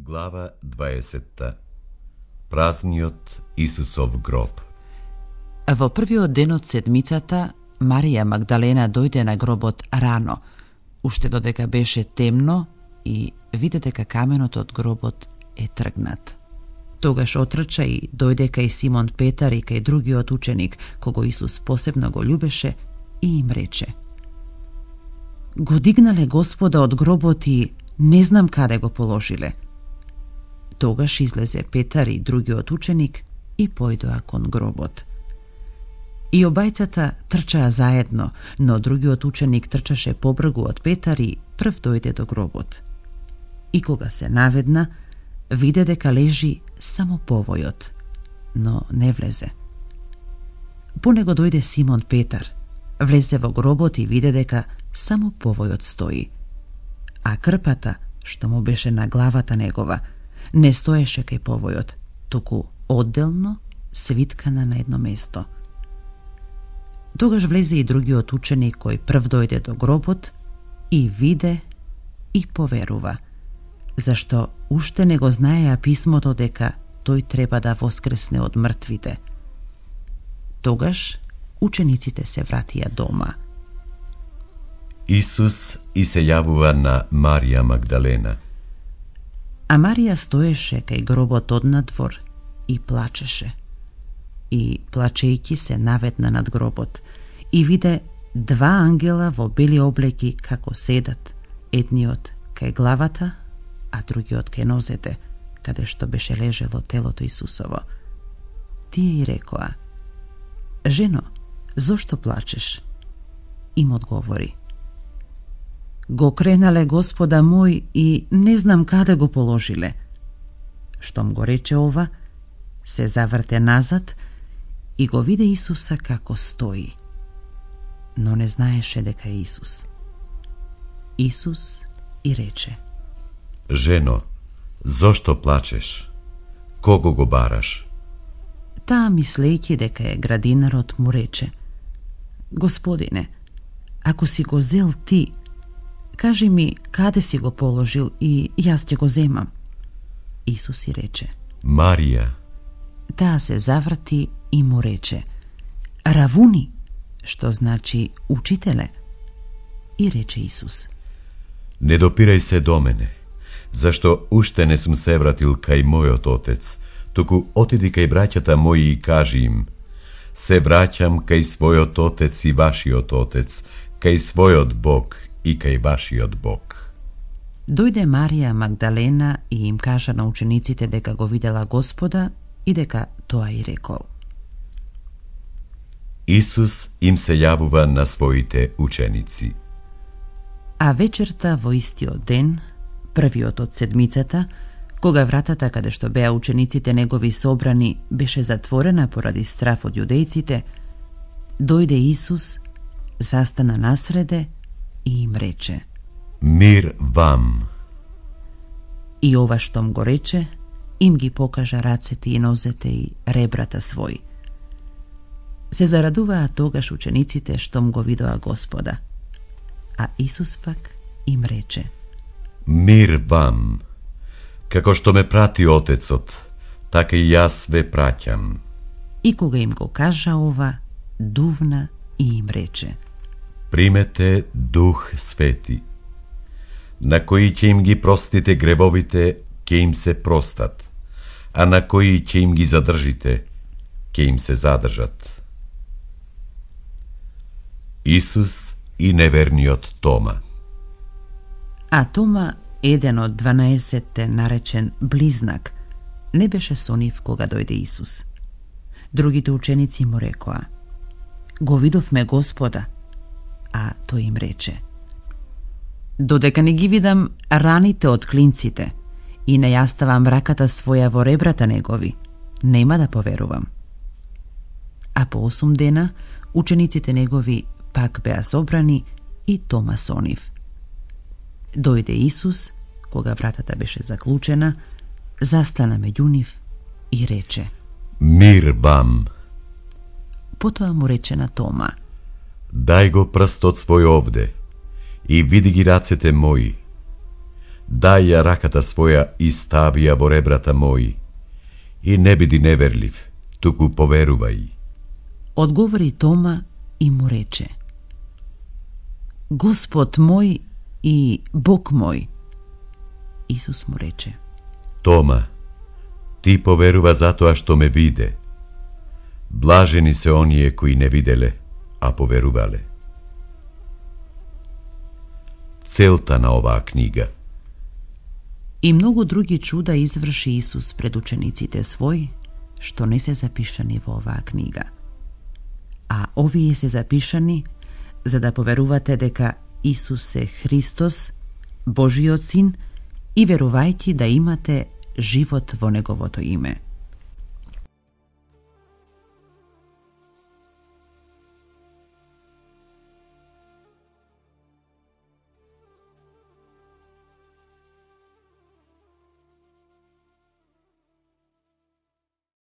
Глава 20. Празниот Исусов гроб. Во првиот ден од седмицата, Марија Магдалена дојде на гробот рано, уште додека беше темно и виде дека каменот од гробот е тргнат. Тогаш отрча и дојде кај Симон Петар и кај другиот ученик, кого Исус посебно го љубеше, и им рече: Го дигнале Господа од гробот и не знам каде го положиле. Тогаш излезе Петар и другиот ученик и појдоа кон гробот. И обајцата трчаа заедно, но другиот ученик трчаше побргу од Петар и прв дојде до гробот. И кога се наведна, виде дека лежи само повојот, но не влезе. По него дојде Симон Петар, влезе во гробот и виде дека само повојот стои, а крпата, што му беше на главата негова, не стоеше кај повојот, туку одделно свиткана на едно место. Тогаш влезе и другиот ученик кој прв дојде до гробот и виде и поверува, зашто уште не го знаеа писмото дека тој треба да воскресне од мртвите. Тогаш учениците се вратија дома. Исус и се јавува на Марија Магдалена. А Марија стоеше кај гробот однадвор и плачеше. И плачејќи се наведна над гробот и виде два ангела во бели облеки како седат, едниот кај главата, а другиот кај нозете, каде што беше лежело телото Исусово. Тие и рекоа: Жено, зошто плачеш? Им одговори: Го кренале Господа мој и не знам каде го положиле. Штом го рече ова, се заврте назад и го виде Исуса како стои, но не знаеше дека е Исус. Исус и рече: Жено, зошто плачеш? Кого го бараш? Таа, мислејќи дека е градинарот, му рече: Господине, ако си го зел ти, кажи ми каде си го положил и јас ќе го земам. Исус и рече: Марија. Таа се заврти и му рече: Равуни, што значи учителе. И рече Исус: Не допирај се до мене, зашто уште не сум се вратил кај мојот Отец, туку отиди кај браќата мои и кажи им: Се враќам кај својот Отец и вашиот Отец, кај својот Бог и кај вашиот Бог. Дојде Марија Магдалена и им кажа на учениците дека го видела Господа и дека тоа и рекол. Исус им се јавува на своите ученици. А вечерта во истиот ден, првиот од седмицата, кога вратата каде што беа учениците негови собрани беше затворена поради страф од јудејците, дојде Исус, застана насреде и им рече: Мир вам. И ова штом го рече, им ги покажа рацете и нозете и ребрата своји. Се зарадуваа тогаш учениците штом го видоа Господа. А Исус пак им рече: Мир вам. Како што ме прати Отецот, така и јас ве праќам. И кога им го кажа ова, дувна и им рече: Примете Дух Свети. На кои ќе им ги простите гревовите, ќе им се простат, а на кои ќе им ги задржите, ќе им се задржат. Исус и неверниот Тома. А Тома, еден од 12-те, наречен Близнак, не беше со нив кога дојде Исус. Другите ученици му рекоа: Го видовме Господа. А тој им рече: Додека не ги видам раните од клинците и не ја ставам раката своја во ребрата негови, нема да поверувам. А по 8 дена учениците негови пак беа собрани и Тома со нив. Дојде Исус, кога вратата беше заклучена, застана меѓу нив и рече: Мир вам. Потоа му рече на Тома: Дај го прстот свој овде и види ги рацете мои. Дај ја раката своја и стави ја во ребрата мои. И не биди неверлив, туку поверувај. Одговори Тома и му рече: Господ мој и Бог мој. Исус му рече: Тома, ти поверува затоа што ме виде. Блажени се оние кои не виделе, а поверувале. Целта на оваа книга. И многу други чуда изврши Исус пред учениците свој, што не се запишани во оваа книга. А овие се запишани за да поверувате дека Исус е Христос, Божиот Син, и верувајќи да имате живот во Неговото име.